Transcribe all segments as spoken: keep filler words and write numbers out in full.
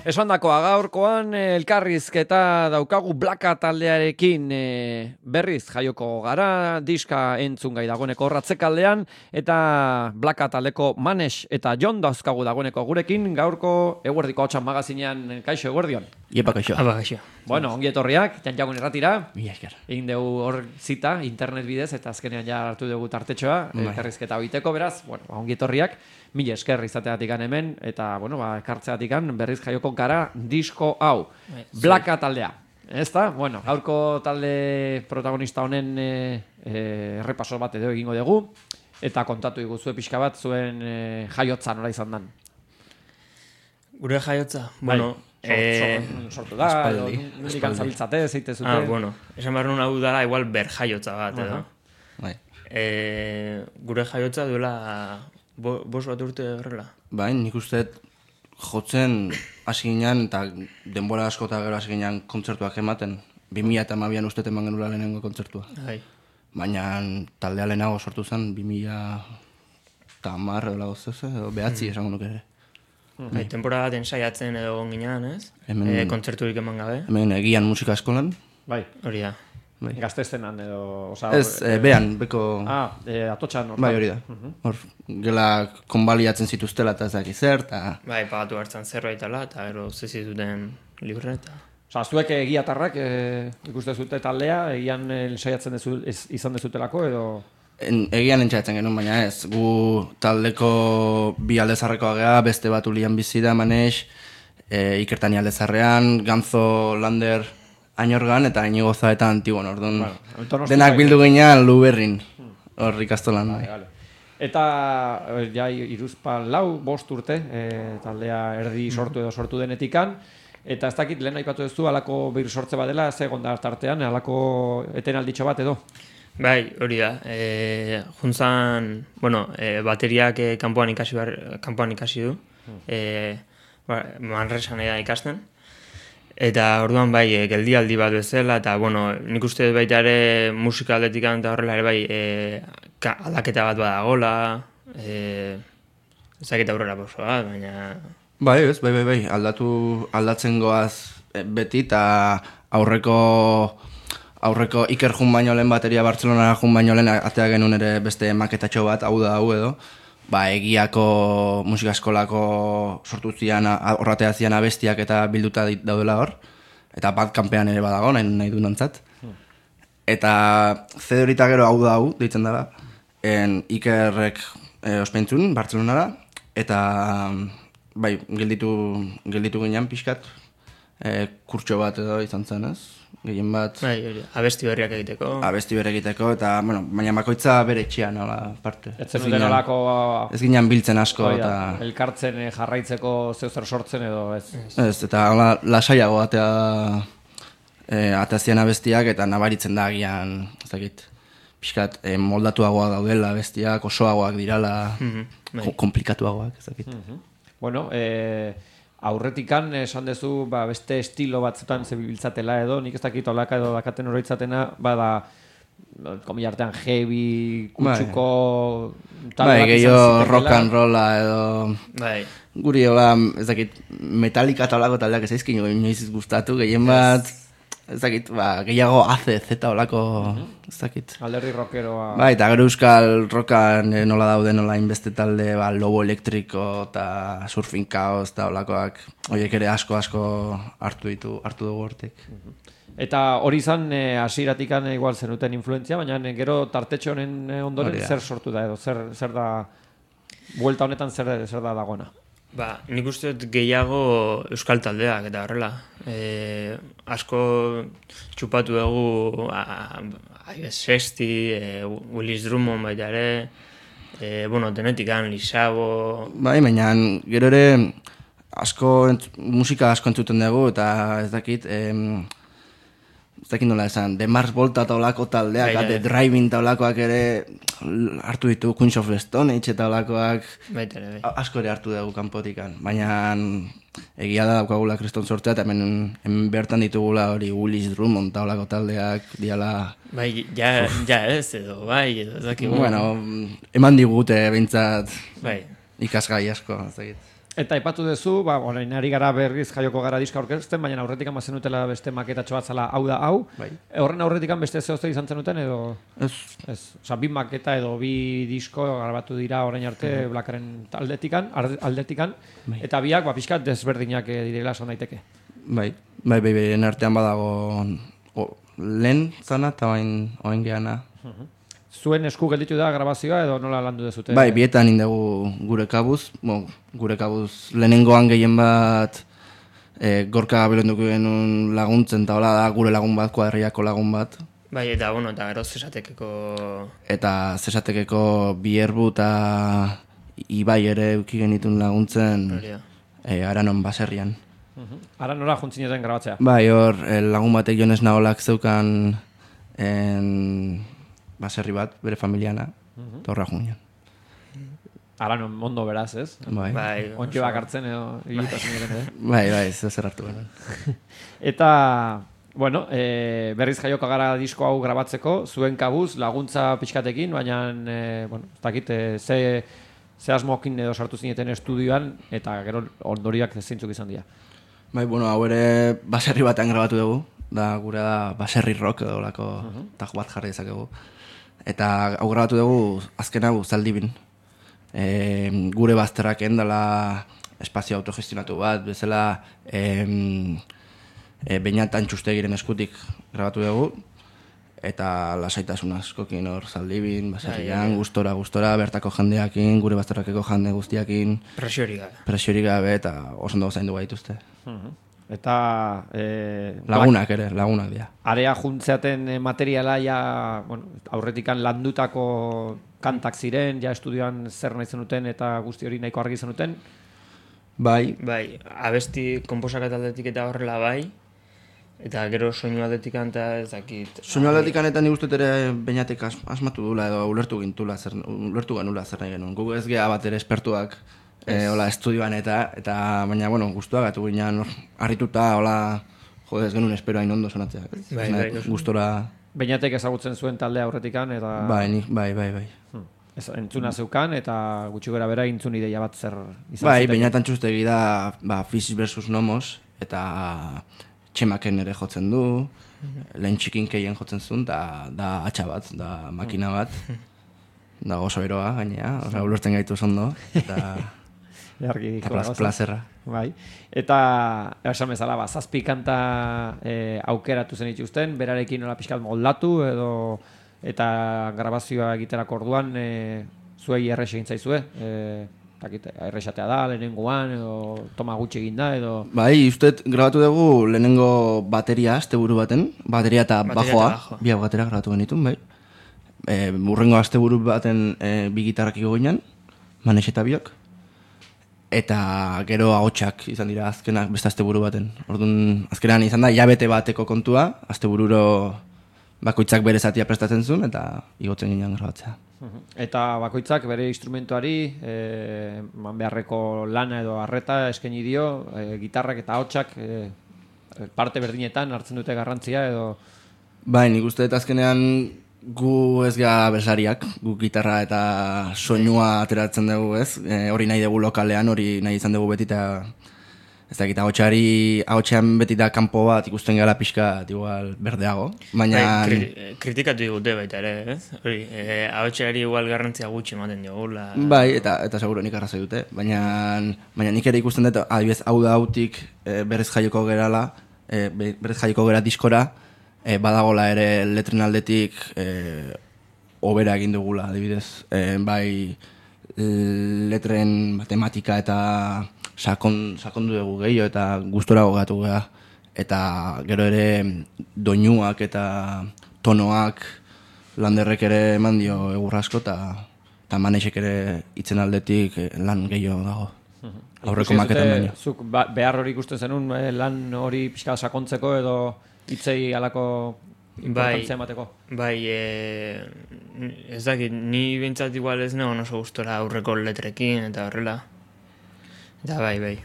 Esan dakoa gaurkoan elkarrizketa daukagu Blaka taldearekin e, berriz jaioko gara, diska entzun gai dagoeneko ratzekaldean, eta Blaka taldeko Manex eta Jon dauzkagu dagoeneko gurekin, gaurko eguerdiko hotxan magazinean, kaixo eguerdion. Iepa kaixo. Aba kaixo. Bueno, ongi etorriak, janjagun erratira. Mila esker. Egin dugu hor zita, internet bidez, eta azkenean ja hartu dugu tartetxoa, elkarrizketa egiteko beraz, bueno, ongi etorriak, mila esker izateatik hemen, eta, bueno, ba, ekartzeatik berriz jaioko gara disko hau, Blaka taldea. Ez da? Bueno, gaurko talde protagonista honen e, e, errepaso bat edo egingo dugu, eta kontatu diguzue pixka bat zuen e, jaiotza nola izan dan. Gure jaiotza? Bueno, Bai. eh, sortu da, edo nondik antzabiltzate, zeite zute. Ah, bueno, esan behar nuen hau dara igual ber jaiotza bat, edo. Bai. Eh, gure jaiotza duela bo, bos bat urte horrela. Bai, nik uste jotzen hasi ginen, eta denbora asko eta gero hasi ginen kontzertuak ematen. bi mila eta hamabian uste eman genula lehenengo kontzertua. Bai. Baina taldea lehenago sortu zen, bi mila eta hamar edo lagoz ez, edo behatzi Mm. esango nuke ere. Bai, temporada bat ensaiatzen edo ginean, ez? Hemen- Eh, kontzerturik eman gabe. Hemen egian musika eskolan. Bai, Hori da. Bai. gaztestenan edo... Osa, Ez, eh, behan, beko... Ah, e, atotxan. Bai, hori da. Hor, gela konbaliatzen zituztela eta ez daki zer, eta... Bai, pagatu hartzen zerbaitala, eta gero zezi duten libre eta... Osa, zuek egiatarrak e, ikuste zute taldea, egian e, saiatzen dezu, ez, izan dezutelako edo... En, egian entxatzen genuen, baina ez. Gu taldeko bi aldezarrekoa gea, beste bat ulian bizi da, Manex, e, Ikertani aldezarrean, Ganzo, Lander, Ainorgan, eta Inigoza eta Antigon, orduan. Bueno, Donostia denak bai. bildu ginean Luberrin, hor ikastolan. Vale, vale. Eta e, ja iruzpan lau, bost urte, e, taldea erdi sortu edo sortu denetikan, eta ez dakit lehen aipatu duzu alako bir sortze badela, ze egon da tartean, alako etenalditxo bat edo? Bai, hori da. E, juntzan, bueno, e, bateriak e, kanpoan ikasi behar, kanpoan ikasi du. E, ba, Manresan da ikasten. Eta orduan bai, e, geldialdi bat bezala, eta bueno, nik uste dut baita ere musika aldetik eta horrela ere bai, e, ka, aldaketa bat badagola, e, ezaketa aurrera pauso bat, baina... Bai, ez, bai, bai, bai, aldatu, aldatzen goaz e, beti, eta aurreko... Aurreko Iker jun baino lehen bateria Bartzelonara jun baino lehen atea genuen ere beste maketatxo bat, hau da hau edo. Ba, egiako musika eskolako sortu zian, horratea zian abestiak eta bilduta daudela hor. Eta bat kanpean ere badago, nahi, nahi du nantzat. Eta zedorita gero hau da hau, deitzen dara. En Ikerrek e, ospeintzun, Bartzelonara. Eta, bai, gelditu, gelditu ginean pixkat. E, kurtso bat edo izan zen, ez? Gehien bat... Bai, hori, abesti berriak egiteko. Abesti bere egiteko, eta, bueno, baina bakoitza bere etxean, nola, parte. Ez zen duten olako... Ez ginen biltzen asko, Hori da, eta... elkartzen e, jarraitzeko zeu zer sortzen edo ez. Ez, eta hola, lasaiago atea... E, ateazian abestiak, eta nabaritzen da agian, ez dakit, pixkat, e, moldatuagoa daudela abestiak, osoagoak dirala, Mhm, bai. ko- komplikatuagoak, ez dakit. Bueno, e, aurretikan esan dezu ba, beste estilo batzutan zebiltzatela edo, nik ez dakit olaka edo dakaten oroitzatena, bada, komila artean heavy, kutsuko... talde Bai, bat izan gehiago zitekeela. rock and rolla edo... Bai, Guri hola, ez dakit, Metallica eta olako taldeak ez aizkin inoiz gustatu, gehien bat... Ez dakit, ba, gehiago A C Z olako, ez dakit. Alderdi rockeroa... Bai, eta gero euskal rockan eh, nola dauden nola inbeste talde, ba, Lobo Elektriko eta Surfing Chaos eta olakoak, horiek ere asko asko hartu ditu, hartu dugu hortik. Eta hori izan e, hasieratikan e, igual zenuten influentzia, baina e, gero tartetxo honen e, ondoren Hori da. zer sortu da edo, zer, zer da... Buelta honetan zer, zer da dagoena. ba, nik uste dut gehiago euskal taldeak eta horrela. E, asko txupatu dugu Ives Sexti, e, Willis Drummond baita ere, e, bueno, denetikan, Lisabo... Bai, baina gero ere asko, entz, musika asko entzuten dugu eta ez dakit, em, ez dakit nola esan, The Mars Volta eta olako taldeak, Bai, bai. The Driving eta olakoak ere hartu ditu, Queens of the Stone Age eta olakoak, Baita ere, bai. A- asko ere hartu dugu kanpotikan, baina egia da daukagula kriston sortzea, eta hemen, hemen bertan ditugula hori Willis Drummond eta olako taldeak diala, Bai, ja, ja ez edo, bai, edo, ez dakit. bueno, eman digute behintzat Bai, ikasgai asko, ez dakit. Eta aipatu duzu, ba, orain ari gara berriz jaioko gara diska aurkezten, baina aurretikan bazen utela beste maketatxo bat zala hau da hau. Bai. Horren aurretikan beste zehozte izan zenuten edo... Ez. Ez. Osa, bi maketa edo bi disko grabatu dira orain arte uh-huh. Blackaren aldetikan, aldetikan bai. Eta biak, ba, pixkat desberdinak direla esan daiteke. Bai, bai, bai, bai, artean badago o, lehen zana eta oain, oain geana. Uh-huh. Zuen esku gelditu da grabazioa edo nola landu dezute? Bai, bietan indegu gure kabuz, bo, gure kabuz lehenengoan gehien bat e, gorka belonduko genuen laguntzen, eta hola da gure lagun bat, kuadriako lagun bat. Bai, eta bueno, eta gero zesatekeko... Eta zesatekeko bierbu eta Ibai ere euki genitun laguntzen e, Aranon baserrian. Uh-huh. Ara nola juntzineten grabatzea? Bai, hor lagun batek Jones Naolak zeukan en, baserri bat, bere familiana, uh-huh. Torra junean. Aranon mondo beraz, ez? Bai. Bai. Ontxo bak hartzen edo hilitasun ere, eh? Bai, bai, ez zer hartu behar. Eta, bueno, e, berriz jaioko gara disko hau grabatzeko, zuen kabuz, laguntza pixkatekin, baina, e, bueno, ez dakit, e, ze, ze asmokin edo sartu zineten estudioan, eta gero ondoriak zeintzuk izan dira. Bai, bueno, hau ere baserri batean grabatu dugu, da gure da baserri rock edo lako uh-huh. Taj bat jarri dezakegu. Eta hau grabatu dugu azken hau Zaldibin. E, gure bazterrak endala espazio autogestionatu bat, bezala e, e, Beñat Antxustegiren eskutik grabatu dugu. Eta lasaitasun askokin hor Zaldibin, baserrian, gustora, gustora, bertako jendeakin, gure bazterrakeko jende guztiakin. Presiorik gabe. Presiorik gabe eta oso ondo zaindu gaituzte. Uh-huh. Eta... E, lagunak ere, lagunak dira. Area juntzeaten materiala ja, bueno, aurretikan landutako kantak ziren, ja estudioan zer nahi zenuten eta guzti hori nahiko argi zenuten. Bai. Bai, abesti konposakat aldetik eta horrela bai. Eta gero soinu aldetik eta ez dakit. Soinu aldetik eta nik uste ere Beñatek as, asmatu dula edo ulertu gintula, zer, ulertu genula zer nahi genuen. Gugu ez geha bat ere espertuak. E, hola, estudioan eta, eta baina, bueno, guztua gatu ginean, harrituta, hola, jode ez genuen espero hain ondo sonatzea. Bai, bai, gustora... Beñatek ezagutzen zuen taldea aurretikan, eta... Bai, nik, bai, bai, bai. Hmm. Ez, entzuna zeukan, eta gutxi gara bera intzun ideia bat zer izan bai, zuten. Beñat Antxustegi da, ba, Fish versus Nomos, eta Txemaken ere jotzen du, lehen txikin keien jotzen zuen, da, da atxa bat, da makina bat, da oso eroa, gainea, oza, ulertzen gaitu zondo, eta... Eta plazerra. Bai. Eta, esan bezala, ba, zazpi kanta e, aukeratu zen ituzten, berarekin nola pixkat moldatu, edo, eta grabazioa egiterako orduan, e, zuei errex egin zaizue, e, errexatea da, lehenengoan, edo toma gutxi egin da, edo... Bai, usted grabatu dugu lehenengo bateria, asteburu baten, bateria eta bajoa, bi hau batera grabatu genitun, bai. E, urrengo asteburu baten e, bi gitarrak iko ginen, Manex eta biok. Eta gero ahotsak izan dira azkenak beste asteburu baten. Orduan azkenan izan da hilabete bateko kontua, astebururo bakoitzak bere zatia prestatzen zuen eta igotzen ginen grabatzea. Eta bakoitzak bere instrumentuari e, man beharreko lana edo arreta eskaini dio, e, gitarrak eta ahotsak e, parte berdinetan hartzen dute garrantzia edo... Bai, nik uste dut azkenean gu ez gara bersariak, gu gitarra eta soinua ateratzen dugu, ez? E, hori nahi dugu lokalean, hori nahi izan dugu beti eta ez da gita ahotsean beti da kanpo bat ikusten gara pixka igual berdeago, baina... Bai, kri, kritikatu digute baita ere, ez? Hori, e, ahotseari igual garrantzia gutxi ematen digula. Bai, eta eta seguro nik arrazoi dute, baina, baina nik ere ikusten dut, adibidez, hau da hautik e, berez jaioko gerala, e, berez jaioko gera diskora, E, badagola ere letren aldetik e, obera egin dugula, adibidez. E, bai letren matematika eta sakon, sakondu dugu gehiago eta gustora gogatu geha. Eta gero ere doinuak eta tonoak Landerrek ere eman dio egurrasko eta, eta Manexek ere itzen aldetik lan gehiago dago. Aurreko maketan baino. Zuk ba, behar hori ikusten zenun lan hori pixka sakontzeko edo hitzei alako importantzia emateko? Bai, e, ez dakit, ni bintzat igual ez negon oso gustora aurreko letrekin eta horrela. Eta bai, bai.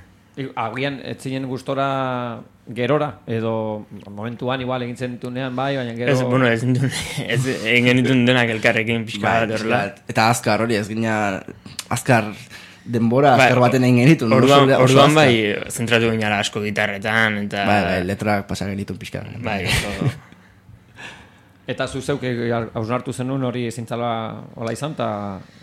Agian, ez zinen gustora gerora, edo momentuan igual egin zentunean bai, baina gero... Ez, bueno, ez, ez egin genitun denak elkarrekin pixka bat horrela. Eta azkar hori, ez gina, azkar denbora azkar baten egin genitun. Orduan, orduan bai, zentratu ginara asko gitarretan, eta... Bai, bai, letrak pasa genitun pixka. Bai, oso... Eta zuzeuk hausnartu zenun hori zintzala hola izan, eta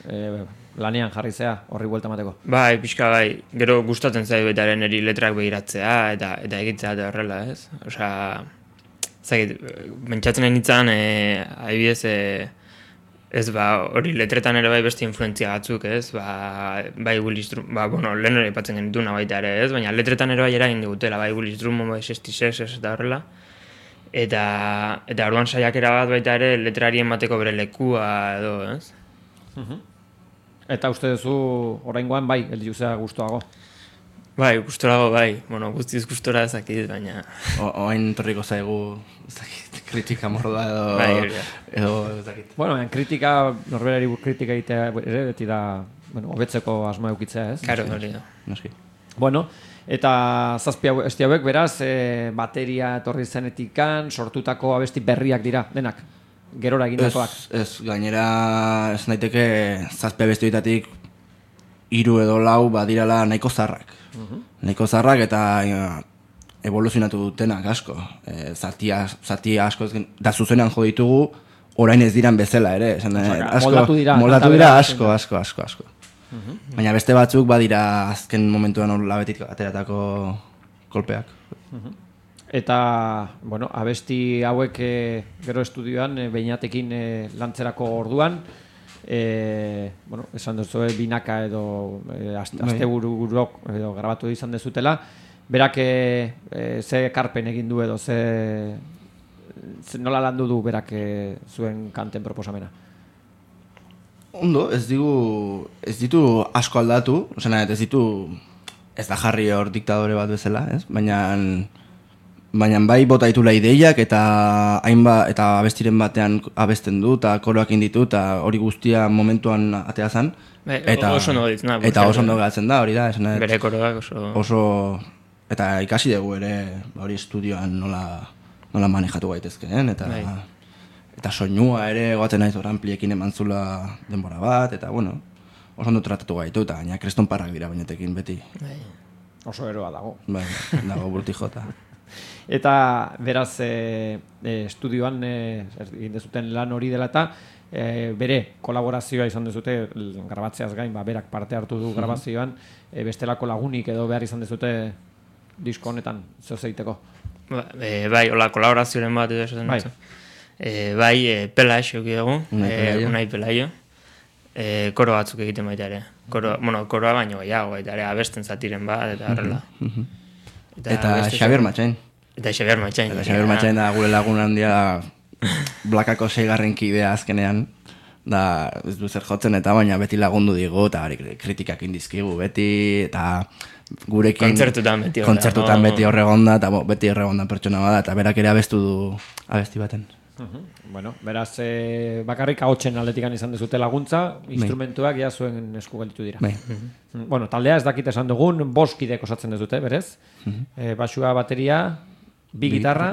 e, lanean jarri zea horri buelta mateko. Bai, pixka bai, gero gustatzen zai betaren eri letrak behiratzea, eta eta egitzea eta horrela, ez? Osa, zagit, pentsatzen nahi nintzen, e, adibidez, e, ez ba, hori letretan ere bai beste influentzia batzuk, ez? Ba, bai Willis Drummond, ba, bueno, lehen ere ipatzen genituna baita ere, ez? Baina letretan ere bai eragin digutela, bai Willis Drummond, bai sestiseiz, ez eta horrela. Eta, eta orduan saiakera bat baita ere letrarien bateko bere lekua edo, ez? Uh-huh. Eta uste duzu oraingoan bai, heldu zea gustoago? Bai, gustorago bai. Bueno, guztiz gustora ezakit, baina... Oain torriko zaigu ezakit, kritika mordoa edo... Bai, edo ezakit. Bueno, en kritika, norberari kritika egitea ere, beti da, bueno, hobetzeko asmoa eukitzea, ez? Karo, hori da. Noski. Bueno, eta zazpi hau, esti hauek, beraz, e, bateria etorri zenetikan, sortutako abesti berriak dira, denak, gerora egindakoak. Ez, ez, gainera ez naiteke zazpi abesti horietatik hiru edo lau badirala nahiko zarrak. Uh-huh. Nahiko zarrak eta ja, evoluzionatu dutenak asko. E, zati, zati asko, da zuzenean jo ditugu, orain ez diran bezala ere. Esan, Osa, asko, moldatu dira. Moldatu dira asko, asko, asko, asko. Uh-huh. Baina beste batzuk badira azken momentuan hor labetik ateratako kolpeak. Uh-huh. Eta, bueno, abesti hauek e, gero estudioan e, Beinatekin e, lantzerako orduan, e, bueno, esan duzu e, binaka edo e, astebururok edo grabatu izan dezutela, berak e, e, ze ekarpen egin du edo ze, ze nola landu du berak e, zuen kanten proposamena? Ondo, ez digu, ez ditu asko aldatu, osena, ez ditu, ez da jarri hor diktadore bat bezala, ez? Baina, baina bai bota ditula ideiak eta hainba eta abestiren batean abesten du eta koroak inditu eta hori guztia momentuan atea zen. Be, eta oso ondo ditzen da. Eta oso ondo geratzen da, hori da, esan. Bere koroak oso... Oso, eta ikasi dugu ere, hori estudioan nola, nola manejatu gaitezkeen, eta... Bai. Eta soinua ere goaten naiz hor ampliekin eman zula denbora bat, eta bueno, oso ondo tratatu gaitu, eta gaina kreston parrak dira Beinatekin beti. Bai. Oso eroa dago. Bai, dago burti jota. Eta beraz, e, e, estudioan e, egin dezuten lan hori dela eta e, bere kolaborazioa izan dezute, grabatzeaz gain, ba, berak parte hartu du grabazioan, e, bestelako lagunik edo behar izan dezute disko honetan, zeu zeiteko. Ba, e, bai, hola, kolaborazioaren bat edo esaten bai. dut. E, bai, e, Pelaix euki dugu, e, Unai Pelaio, e, koro batzuk egiten baita ere. Koro, bueno, koroa baino gehiago baita ere, abesten zatiren bat, eta horrela. Eta, eta Xabier Matxain. Eta Xabier Matxain. Eta Xabier Matxain da gure lagun handia blakako seigarren kidea azkenean. Da, ez du zer jotzen eta baina beti lagundu digu, eta kritikak indizkigu beti, eta gurekin... Kontzertutan beti horregonda. Kontzertutan beti horregonda, eta bo, beti horregonda pertsona bada, eta berak ere abestu du abesti baten. Uh-huh. Bueno, beraz, e, bakarrik ahotsen aldetikan izan dezute laguntza, instrumentuak ja zuen esku gelditu dira. Bai. Uh-huh. Bueno, taldea ez dakit esan dugun, bost kidek osatzen dezute, berez? Uh-huh. E, basua, bateria, bi, bi gitarra,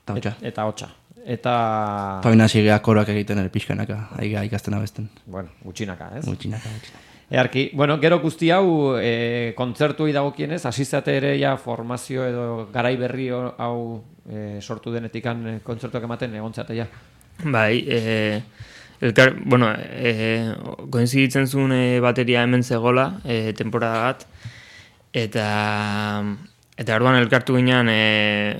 eta hotxa. Et, eta hotxa. Eta... Eta baina sigea koroak egiten ere pixkanaka, aiga ikasten abesten. Bueno, gutxinaka, ez? Gutxinaka, gutxinaka. Earki, bueno, gero guzti hau e, kontzertuei dagokienez, asizate ere ja formazio edo garai berri hau e, sortu denetikan e, kontzertuak ematen egontzate ja. Bai, e, elkar, bueno, e, koinziditzen zuen e, bateria hemen zegola, e, temporada bat, eta eta orduan elkartu ginean e,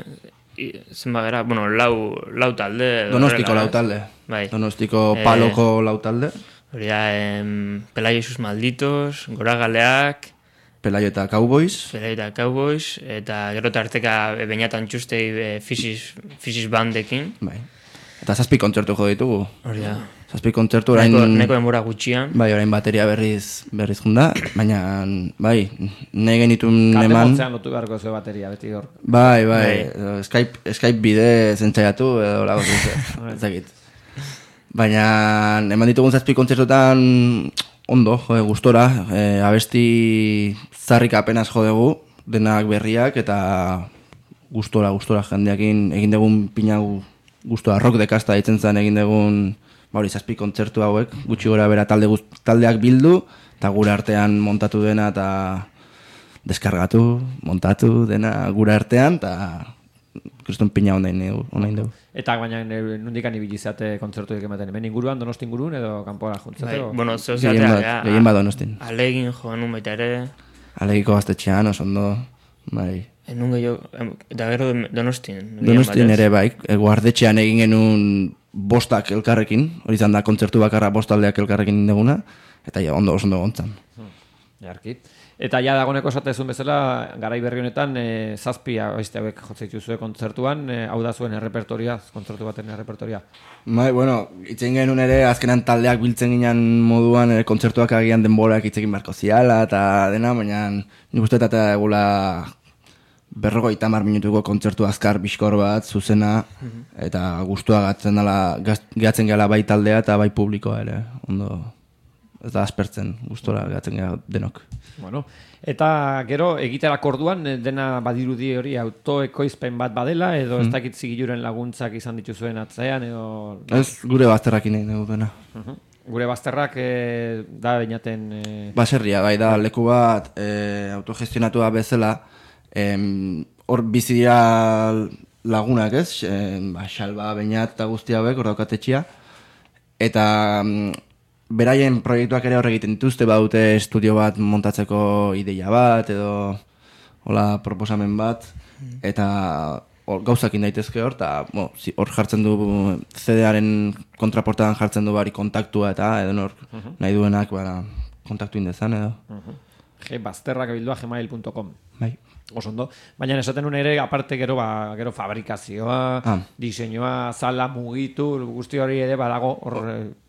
zenba gara, bueno, lau, lau talde. Donostiko lau talde. Bai. Donostiko paloko e, lau talde. Hori da, em, Pelaio sus malditos, Goragaleak, Pelaio eta Cowboys. Pelaio eta Cowboys, eta gero tarteka Beñatan txustei e, Fisis bandekin. Bai. Eta zazpi kontzertu jo ditugu. Hori da. Zazpi kontzertu orain... Neko, neko denbora gutxian. Bai, orain bateria berriz berriz junda, baina, bai, nahi genitun eman... Kate motzean lotu beharko zuen bateria, beti hor. Bai, bai, bai. Skype, Skype bide zentzaiatu, edo lago zentzaiatu, ez dakit. Baina, eman ditugun zazpi kontzertutan ondo, jode, gustora, e, abesti zarrik apenas jodegu, denak berriak, eta gustora, gustora jendeakin egin dugun pina gustora, rock dekasta ditzen zen egin dugun ba hori zazpi kontzertu hauek, gutxi gora bera talde guz, taldeak bildu, eta gure artean montatu dena eta deskargatu, montatu dena gure artean, eta kriston pina ondain dugu. Eta baina nondikan ibili zate kontzertuak ematen, hemen inguruan, Donosti ingurun edo kanpora juntzate? Bai, bueno, zeu Gehien zatea, bat, ja. gehien bat Donostin. Alegin joan nun baita ere. Alegiko gaztetxean, oso ondo, bai. Enun gehiago, eta gero Donostien. Donostin ere bai, guardetxean egin genuen bostak elkarrekin, hori izan da kontzertu bakarra bostaldeak elkarrekin deguna, eta ja, ondo, oso ondo gontzan. Hmm, jarki. Eta ja dagoneko esatezun bezala, garai berri honetan, e, zazpia oizte hauek jotzeitu zuen kontzertuan, e, hau da zuen errepertoria, kontzertu baten errepertoria. Bai, bueno, itzen genuen ere, azkenan taldeak biltzen ginen moduan, e, kontzertuak agian denborak itzekin beharko ziala, eta dena, baina nik uste eta egula berrogeita hamar minutuko kontzertu azkar bizkor bat, zuzena, eta gustua gatzen dela, gatzen gela bai taldea eta bai publikoa ere, ondo, ez da aspertzen, gustora gatzen gela denok. Bueno, eta gero egiterak orduan dena badirudi hori autoekoizpen bat badela, edo ez dakit zigiluren laguntzak izan dituzuen atzean, edo... Ez gure bazterrakin egin dugu dena. Uh-huh. Gure bazterrak e, da bainaten... E... Baserria, bai da, leku bat e, autogestionatua bezala, hor bizi dira lagunak, ez? E, ba, Xalba, Beñat eta guzti hauek, hor daukatetxia. Eta beraien proiektuak ere hor egiten dituzte, badute estudio bat montatzeko ideia bat, edo hola proposamen bat, eta or, gauzakin daitezke hor, eta bo, zi, hor jartzen du C D-aren kontraportadan jartzen du bari kontaktua, eta edo nor uh-huh. nahi duenak bara, kontaktu indezan, edo. Uh-huh. G, bazterrak bildua gmail punto com. Bai. Oso ondo. Baina esaten nuen ere, aparte gero, ba, gero fabrikazioa, ah. diseinua, zala mugitu, guzti hori ere badago hor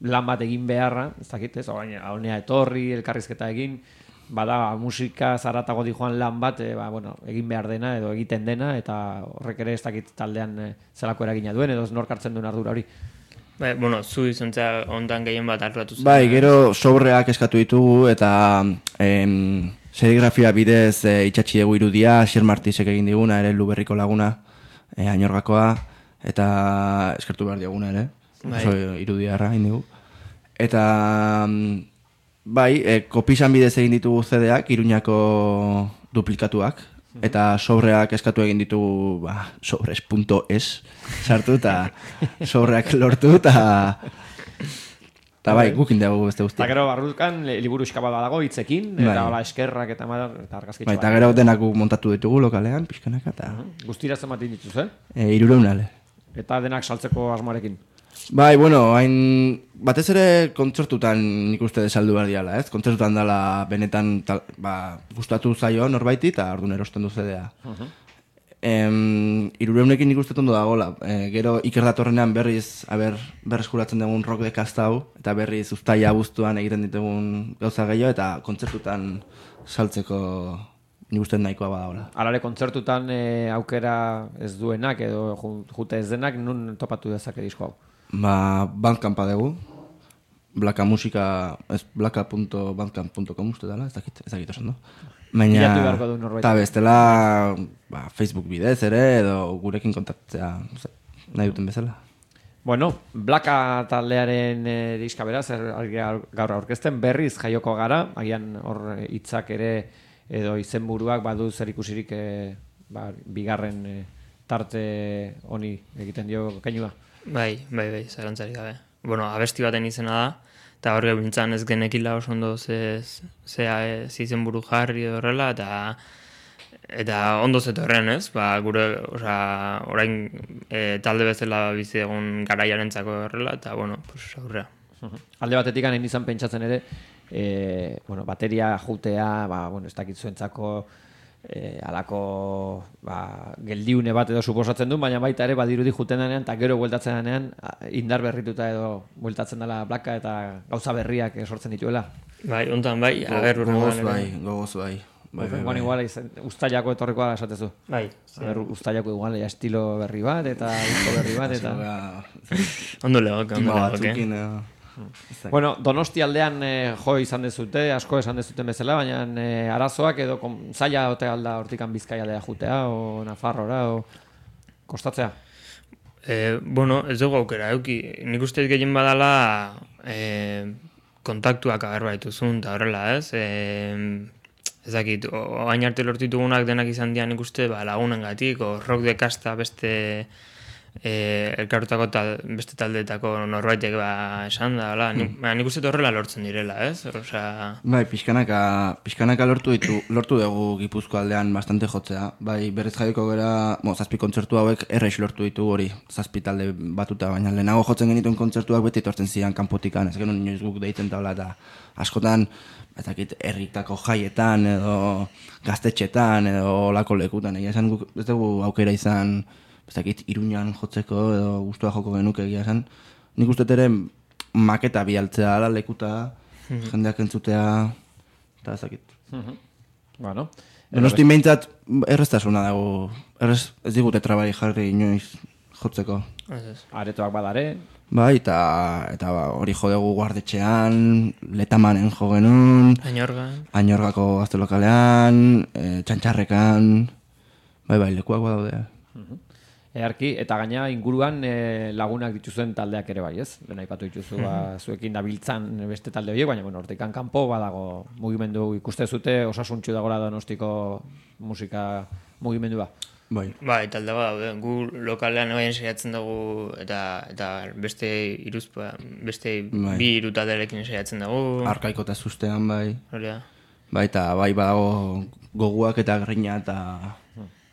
lan bat egin beharra, ez dakit, ez, honea etorri, elkarrizketa egin, bada musika zaratago di joan lan bat, e, ba, bueno, egin behar dena edo egiten dena, eta horrek ere ez dakit taldean e, zelako eragina duen, edo nork hartzen duen ardura hori. Bai, bueno, zu izontza ondan gehien bat hartuatu zen. Bai, gero sobreak eskatu ditugu, eta... Em, serigrafia bidez e, itxatxi dugu irudia, Xer Martizek egin diguna, ere Luberriko laguna, e, Añorgakoa, eta eskertu behar diaguna ere, bai. Oso irudiarra egin digu. Eta, bai, e, kopisan bidez egin ditugu C D-ak, Iruñako duplikatuak, eta sobreak eskatu egin ditugu, ba, sobres punto es sartu, eta sobreak lortu, eta... Eta bai, gukin dugu beste guztia. Eta gero barrukan liburu eskaba dago hitzekin, bai. eta hola eskerrak eta mar, eta argazkitxoa. Bai, eta gero denak montatu ditugu lokalean, pixkanaka, eta... Uh-huh. Guztira zenbatin dituz, eh? E, irureunale. Eta denak saltzeko asmoarekin. Bai, bueno, hain... Batez ere kontzertutan nik uste desaldu behar diala, ez? Kontzertutan dela benetan, tal, ba, gustatu zaio norbaiti, eta orduan erosten du C D-a. Uh-huh. Em, irureunekin nik uste tondo dagoela. E, gero Iker datorrenean berriz aber, berreskuratzen dugun rock dekazta hau, eta berriz uztaia abuztuan egiten ditugun gauza gehiago, eta kontzertutan saltzeko nik uste nahikoa badagoela. Alare, kontzertutan e, aukera ez duenak edo jute ez denak, nun topatu dezake disko hau? Ba, Bandcampa dugu. Blaka musika, ez blaka punto bandcamp punto com uste dela, ez dakit, ez dakit oso, no? Baina, eta bestela, ba, Facebook bidez ere, edo gurekin kontaktzea nahi duten bezala. Bueno, Blaka taldearen e, diska beraz, er, gaur aurkezten berriz jaioko gara, agian hor hitzak ere, edo izenburuak badu zer ikusirik e, ba, bigarren e, tarte honi egiten dio kainua. Bai, bai, bai, zarantzarik gabe. Bueno, abesti baten izena da, eta hor gebintzan ez genekila oso ondo ze, ze, ze izen buru jarri horrela, eta eta ondo zetorren, ez? Ba, gure, oza, orain e, talde bezala bizi egun garaiarentzako horrela, eta, bueno, pues, aurrea. Alde batetik hain izan pentsatzen ere, e, bueno, bateria jutea, ba, bueno, ez dakit zuentzako E, alako ba, geldiune bat edo suposatzen du, baina baita ere badirudi juten denean eta gero bueltatzen denean indar berrituta edo bueltatzen dela Blaka eta gauza berriak sortzen dituela. Bai, ontan bai, Go, ager gogoz bai, gogoz bai. Bai, bai, bai. Igual, ustailako etorrikoa esatezu. Bai. Aber, ustailako igual, ja estilo berri bat eta disco berri bat eta... Ondo legoke, ondo legoke. Bueno, Donosti aldean eh, jo izan dezute, asko esan dezuten bezala, baina eh, arazoak edo kom, zaila ote alda hortikan Bizkaia aldea jutea, o Nafarrora, o kostatzea? E, bueno, ez dugu aukera, euki. Nik uste gehien badala e, kontaktuak agar baituzun, eta horrela, ez? E, ez dakit, oain arte lortu ditugunak denak izan dian nik uste ba, lagunengatik, o rock de kasta beste e, elkartutako tal, beste taldeetako norbaitek ba, esan da, hala, nik, mm. nik uste horrela lortzen direla, ez? Osea... Bai, pixkanaka, pixkanaka lortu ditu, lortu dugu Gipuzko aldean bastante jotzea. Bai, berriz jaiko gara, bo, zazpi kontzertu hauek errex lortu ditu hori, zazpi talde batuta, baina lehenago jotzen genituen kontzertuak beti etortzen zidan kanpotikan, ez genuen inoiz guk deitzen tabla, eta askotan, ezakit, herritako jaietan, edo gaztetxetan, edo olako lekutan, egia esan guk ez dugu aukera izan, ezakit, Iruñan jotzeko, edo gustua joko genuke egia esan. Nik uste ere maketa bialtzea ala lekuta, mm-hmm. jendeak entzutea, eta ezakit. Mm-hmm. Bueno. Donosti behintzat erreztasuna dago, errez, ez digute trabai jarri inoiz jotzeko. Aretoak badare. Bai, eta, eta ba, hori jo dugu guardetxean, Letamanen jo genuen. Añorgan. Añorgako gazte lokalean, e, Txantxarrekan, bai, bai, lekuak badaude. Uh-huh. Earki, eta gaina inguruan e, lagunak dituzuen taldeak ere bai, ez? Lehen aipatu dituzu, ba, zuekin dabiltzan beste talde horiek, baina, bueno, hortikan kanpo badago mugimendu ikuste zute, osasuntxu dagoela Donostiko musika mugimendua. Bai. Bai, talde bat daude. Gu lokalean ebaien saiatzen dugu eta eta beste iruzpa, beste bai. Bi hiru talderekin saiatzen dugu. Arkaiko eta sustean bai. Hori da. Bai, eta bai badago goguak eta grina eta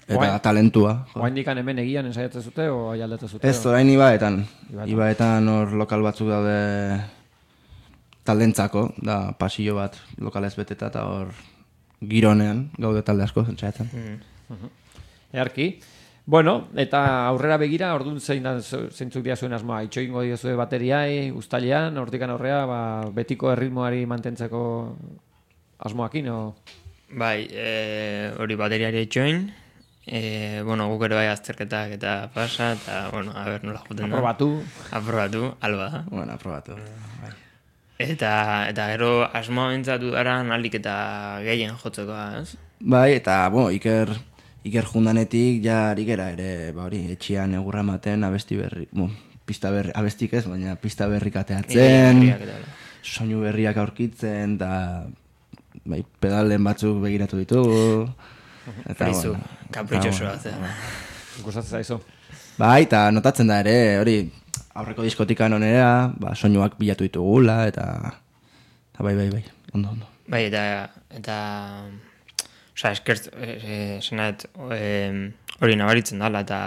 eta Oain, talentua. Oraindik hemen egian ensaiatzen zute o aldatzen zute? Ez, orain ibaetan. Ibaetan hor lokal batzuk daude taldentzako, da pasillo bat lokalez beteta eta hor gironean gaude talde asko ensaiatzen. Mm. Uh-huh. Earki. Bueno, eta aurrera begira, orduan zein da zeintzuk dira zuen asmoa, itxoingo diozue bateriai, uztailean, hortikan aurrea, ba, betiko erritmoari mantentzeko asmoakin, o? Bai, e, hori bateriari itxoin, e, bueno, guk ere bai azterketak eta pasa, eta, bueno, a ber, nola joten da. Aprobatu. Aprobatu, alba da. Bueno, aprobatu, bai. Eta, eta gero asmoa bintzatu dara nalik eta gehien jotzeko, ez? Bai, eta, bueno, Iker... Iker jundanetik ja arikera ere, ba hori, etxian egurra ematen abesti berri, bon, pista berri, abestik ez, baina pista berrik ateatzen, soinu berriak aurkitzen, eta bai, pedalen batzuk begiratu ditugu. Frizu, kapritxosoa zen. Gustatzen zaizu. Bai, eta notatzen da ere, hori, aurreko diskotikan onera, ba, soinuak bilatu ditugula, eta, eta bai, bai, bai, ondo, ondo. Bai, eta, eta... Osa, eskert, e, zenaet, hori nabaritzen dala, eta,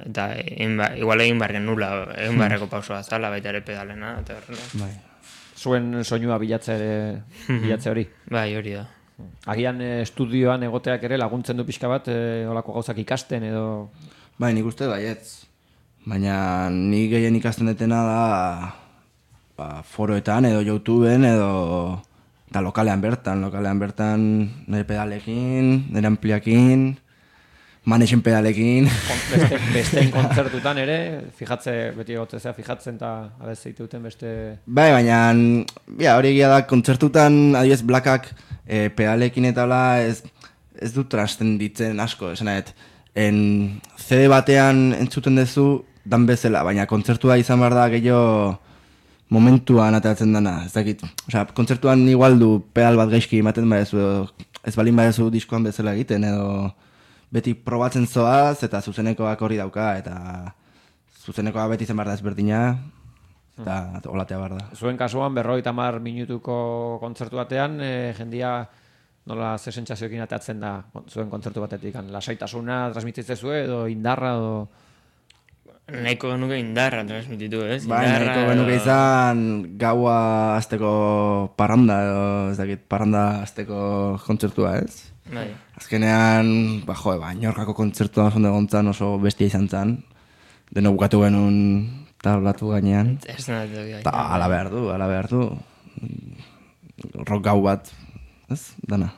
eta egin ba, igual egin barren nula, egin barreko pausua zala, baita ere pedalena, eta horrela. Bai. Zuen soinua bilatze, bilatze hori? Bai, hori da. Agian estudioan egoteak ere laguntzen du pixka bat, e, olako gauzak ikasten edo... Bai, nik uste baietz. Baina ni gehien ikasten detena da ba, foroetan edo YouTubeen edo... Eta lokalean bertan, lokalean bertan nire pedalekin, nire ampliakin, manexen pedalekin. Beste, besteen kontzertutan ere, fijatze, beti egotzea fijatzen eta abez zeituten beste... Bai, baina ja, hori egia da, kontzertutan, adibidez, blakak e, pedalekin eta la ez, ez du transcenditzen asko, esanet. En C D batean entzuten duzu dan bezala, baina kontzertua izan behar da gehiago... momentuan ateratzen dana, ez dakit. Osea, kontzertuan igual du pedal bat gaizki ematen badezu, ez balin badezu diskoan bezala egiten, edo beti probatzen zoaz, eta zuzenekoak hori dauka, eta zuzenekoa beti zen behar da ezberdina, eta hmm. olatea behar da. Zuen kasuan, berrogeita hamar minutuko kontzertu batean, e, jendia nola ze sentsazioekin ateratzen da zuen kontzertu batetik, lasaitasuna transmititzen zuen, edo indarra, edo... Nahiko genuke indarra transmititu, ez? Bai, nahiko genuke izan gaua azteko parranda, edo ez dakit, parranda azteko kontzertua, ez? Bai. Azkenean, ba, jo, ba, Ñorkako kontzertua zonde gontzan oso bestia izan zan. Deno bukatu genuen tablatu gainean. Ez nahi gai. Ta, ala behar du, ala behar du. Rock gau bat, ez? Dana.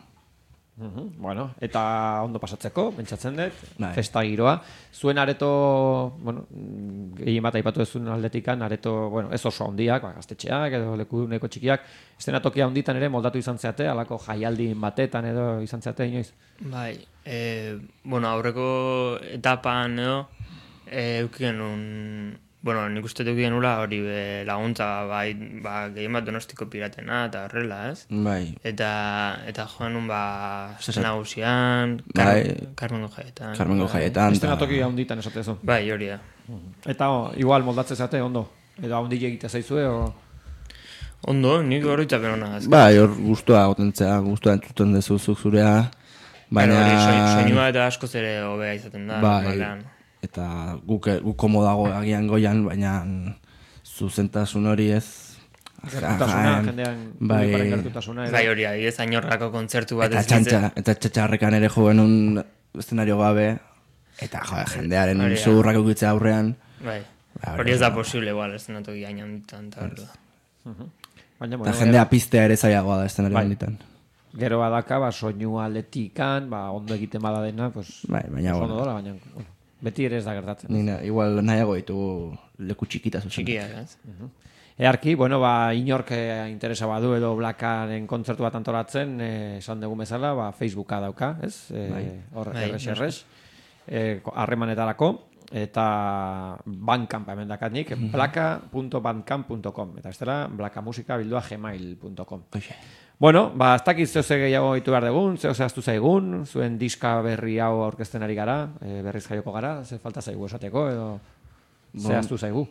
Uhum, bueno, eta ondo pasatzeko, pentsatzen dut, Bai. festa giroa. Zuen areto, bueno, gehien bat aipatu duzun aldetikan, areto, bueno, ez oso handiak, ba, gaztetxeak edo leku neko txikiak, estenatokia handitan ere moldatu izan zeate, alako jaialdin batetan edo izan zeate inoiz? Bai, e, bueno, aurreko etapan edo, E, eukien un... Bueno, nik uste dukien nula hori be, laguntza bai, ba, gehien bat Donostiko Piratena eta horrela, ez? Bai. Eta, eta joan un ba, Zesat. nagusian, Bai. Carmengo jaietan. Carmengo jaietan. Estena toki handitan esatezu. Bai, hori da. Eta oh, igual moldatzen zate, ondo. Edo handi egite zaizue, o... Ondo, nik horretzapen hona. Bai, hor guztua gotentzea, guztua entzuten dezuzuk zurea. Baina... Baina... Hori, soinua eta askoz ere hobea izaten da. Bai, normalean. eta guk, guk komodago agian goian, baina zuzentasun hori ez. Gertutasuna, jendean bai, publikoaren gertutasuna. edo- Bai, hori, adibidez, ainorrako kontzertu bat eta ez nintzen. txantxa, eta txatxarrekan ere jo genuen eszenario gabe, eta jo, jendearen Hori da. zurrak ukitzea aurrean. Bai, Ba, hori ez da posible, igual, ez denatoki hain handitan, eta hori da. Baina, Eta bueno, jendea piztea ere zailagoa da eszenario Bai. handitan. gero badaka, ba, soinu aldetikan, ba, ondo egiten bada dena, pues, Bai, baina, oso bueno. ondo dola, baina, bueno, beti ere ez da gertatzen. Nina, igual nahiago ditugu leku txikita zuzen. Txikia, ez? Earki, bueno, ba, inork eh, interesa badu edo Blackaren kontzertu bat antolatzen, eh, esan dugu bezala, ba, Facebooka dauka, ez? Eh, hor, Bai, erres, erres, eh, ko- harremanetarako, eta Bandcamp hemen dakanik, blaka punto bandcamp punto com, eta bestela, blakamusika bildua gmail punto com. Hoxe. Bueno, ba, ez dakit zeo ze gehiago ditu behar dugun, zeo zehaztu zaigun, zuen diska berri hau aurkezten ari gara, e, berriz jaioko gara, ze falta zaigu esateko, edo zehaztu zaigu.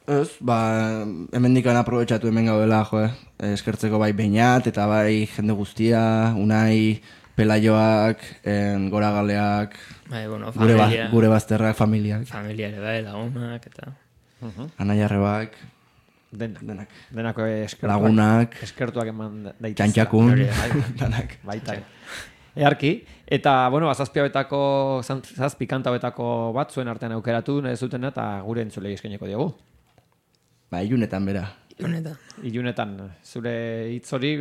Ez, ba, hemen dikan aprobetxatu hemen gaudela, jo, eh? Eskertzeko bai Beñat, eta bai jende guztia, Unai, Pelaioak, en, Goragaleak, Bai, bueno, gure, ba, familia, gure bazterrak, familiak, familia ere bai, lagunak, eta... Anaiarrebak, Denak, denak, denako eskertuak, lagunak, eskertuak eman daitezela. txantxakun, Hori, danak. Baita. Earki, eta, bueno, azazpi hauetako, zazpi kanta hauetako bat zuen artean aukeratu, nahi zutena, eta gure entzulei eskaineko diogu. Ba, ilunetan bera. Honetan. Ilunetan, zure hitz hori,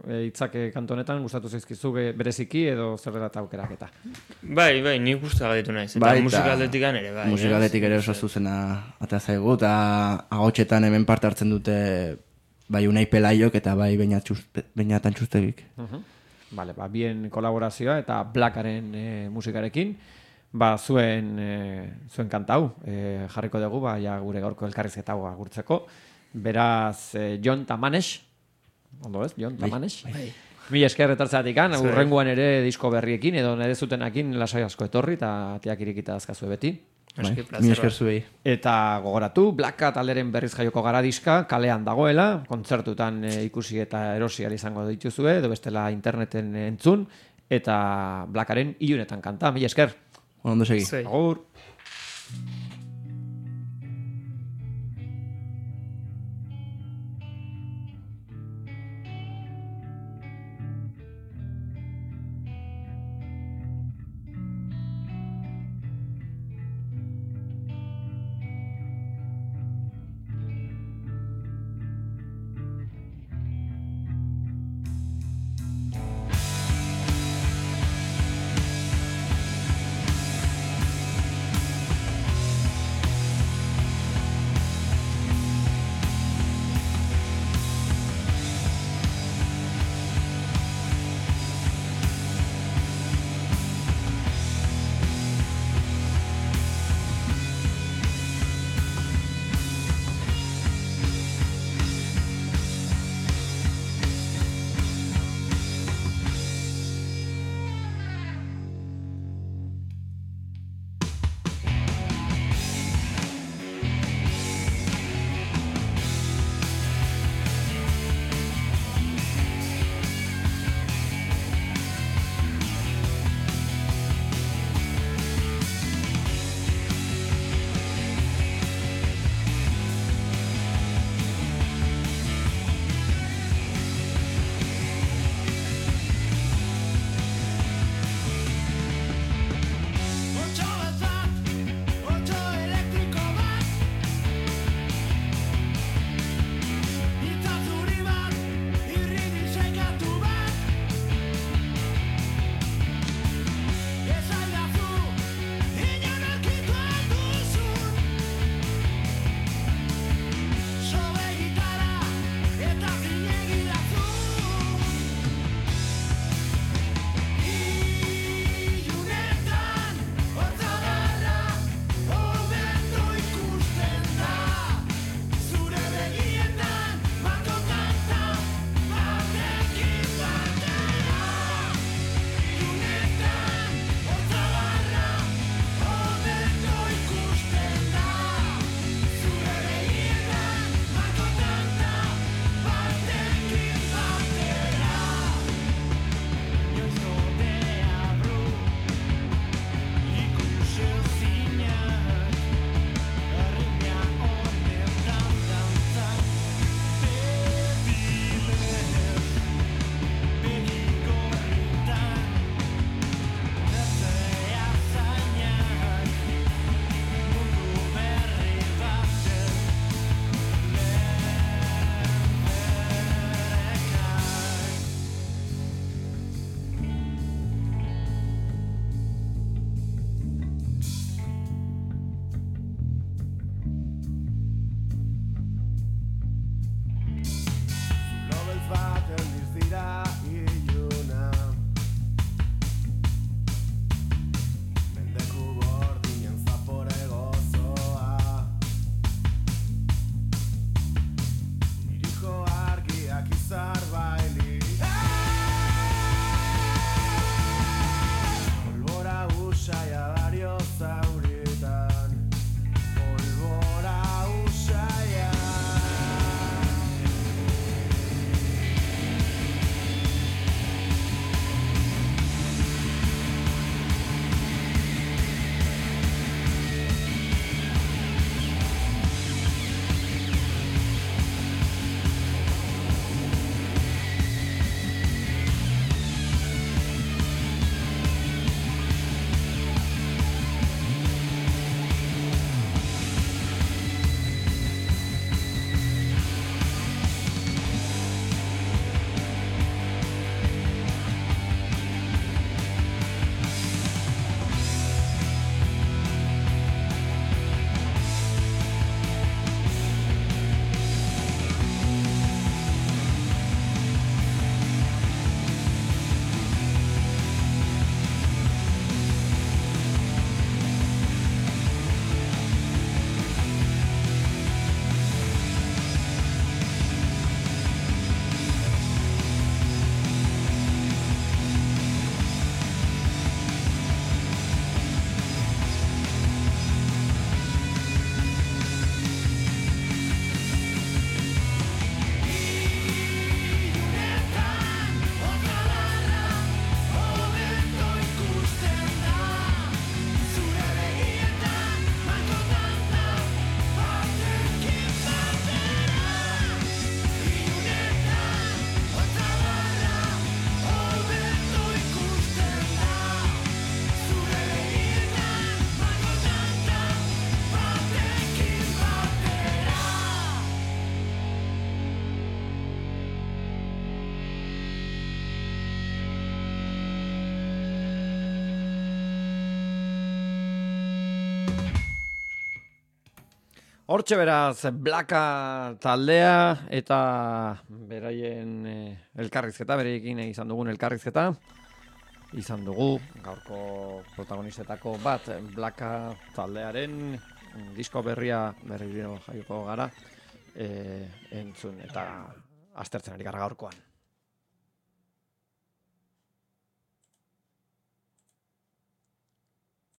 e, hitzak kantu honetan, gustatu zaizkizu be- bereziki edo zerrela eta aukeraketa. Bai, bai, nik guztua gaitu naiz. Eta Bai, eta musikaldetikan ere, bai. Musikaletik ere oso zuzena atea zaigu, eta agotxetan hemen parte hartzen dute bai Unai Pelaiok eta bai Beñatan Txustegik. Vale, ba, bien kolaborazioa eta Blackaren e, musikarekin, ba, zuen, e, zuen kantau e, jarriko dugu, ba, ja, gure gaurko elkarrizketa hau agurtzeko. Beraz, e, Jon Tamanes, ondo ez, Jon Tamanes? Bai. Mila esker etortzeatik an, Zer. urrengoan ere disko berriekin, edo nire zutenakin lasai asko etorri, eta atiak irikita azkazue beti. Aski, Bai, plazer mi esker bat. zuei. Eta gogoratu, Blacka talderen berriz jaioko gara diska, kalean dagoela, kontzertutan e, ikusi eta erosi ahal izango dituzue, edo bestela interneten entzun, eta Blackaren ilunetan kanta, mila esker. Ondo segi. Zuei. Agur. dira iluna mendeku gordinen zapore gozoa iriko argiak izar baili polbora usaia dario zauritan polbora usaia Hortxe beraz, Blaka taldea eta beraien eh, elkarrizketa, bereekin izan dugun elkarrizketa. Izan dugu gaurko protagonistetako bat Blaka taldearen disko berria berriro jaioko gara eh, entzun eta aztertzen ari gara gaurkoan.